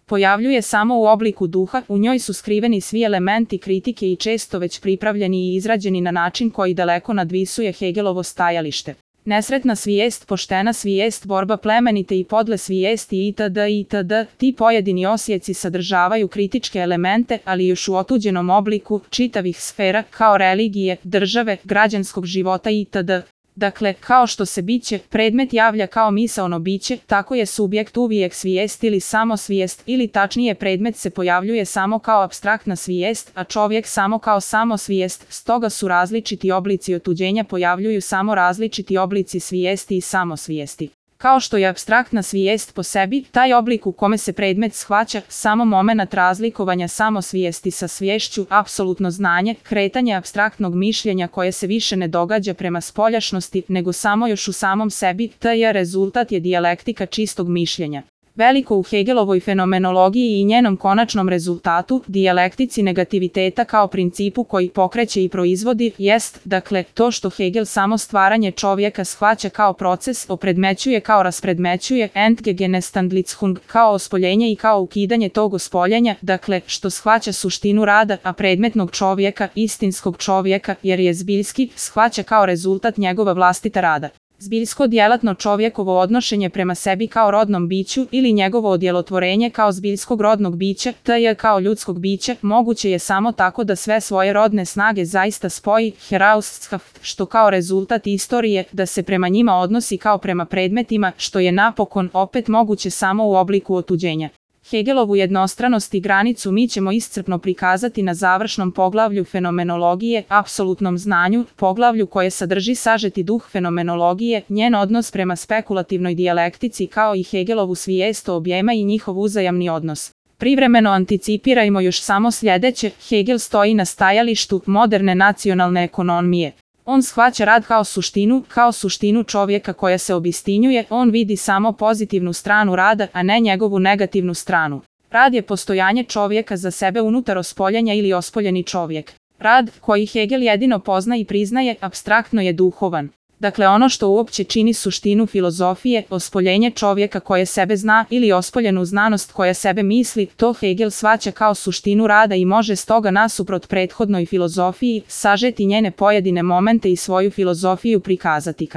pojavljuje samo u obliku duha, u njoj su skriveni svi elementi kritike i često već pripravljeni i izrađeni na način koji daleko nadvisuje Hegelovo stajalište. Nesretna svijest, poštena svijest, borba plemenite i podle svijesti itd. itd. Ti pojedini osjeci sadržavaju kritičke elemente, ali još u otuđenom obliku čitavih sfera, kao religije, države, građanskog života itd. Dakle, kao što se biće, predmet javlja kao misaono biće, tako je subjekt uvijek svijest ili samosvijest, ili tačnije predmet se pojavljuje samo kao apstraktna svijest, a čovjek samo kao samosvijest, stoga su različiti oblici otuđenja pojavljuju samo različiti oblici svijesti i samosvijesti. Kao što je apstraktna svijest po sebi, taj oblik u kome se predmet shvaća, samo momenat razlikovanja samosvijesti sa sviješću, apsolutno znanje, kretanje apstraktnog mišljenja koje se više ne događa prema spoljašnosti, nego samo još u samom sebi, taj rezultat je dijalektika čistog mišljenja. Veliko u Hegelovoj fenomenologiji i njenom konačnom rezultatu, dijalektici negativiteta kao principu koji pokreće i proizvodi, jest, dakle, to što Hegel samo stvaranje čovjeka shvaća kao proces, opredmećuje kao raspredmećuje, Entgegenestandlichung, kao ospoljenje i kao ukidanje tog ospoljenja, dakle, što shvaća suštinu rada, a predmetnog čovjeka, istinskog čovjeka, jer je zbiljski, shvaća kao rezultat njegova vlastita rada. Zbiljsko djelatno čovjekovo odnošenje prema sebi kao rodnom biću ili njegovo odjelotvorenje kao zbiljskog rodnog bića, t.j. kao ljudskog bića, moguće je samo tako da sve svoje rodne snage zaista spoji, heraustschaft, što kao rezultat istorije, da se prema njima odnosi kao prema predmetima, što je napokon opet moguće samo u obliku otuđenja. Hegelovu jednostranost i granicu mi ćemo iscrpno prikazati na završnom poglavlju fenomenologije, apsolutnom znanju, poglavlju koje sadrži sažeti duh fenomenologije, njen odnos prema spekulativnoj dijalektici kao i Hegelovu svijest o objema i njihov uzajamni odnos. Privremeno anticipirajmo još samo sljedeće, Hegel stoji na stajalištu moderne nacionalne ekonomije. On shvaća rad kao suštinu čovjeka koja se obistinjuje, on vidi samo pozitivnu stranu rada, a ne njegovu negativnu stranu. Rad je postojanje čovjeka za sebe unutar ospoljenja ili ospoljeni čovjek. Rad, koji Hegel jedino pozna i priznaje, apstraktno je duhovan. Dakle, ono što uopće čini suštinu filozofije, ospoljenje čovjeka koje sebe zna ili ospoljenu znanost koja sebe misli, to Hegel shvaća kao suštinu rada i može stoga nasuprot prethodnoj filozofiji sažeti njene pojedine momente i svoju filozofiju prikazati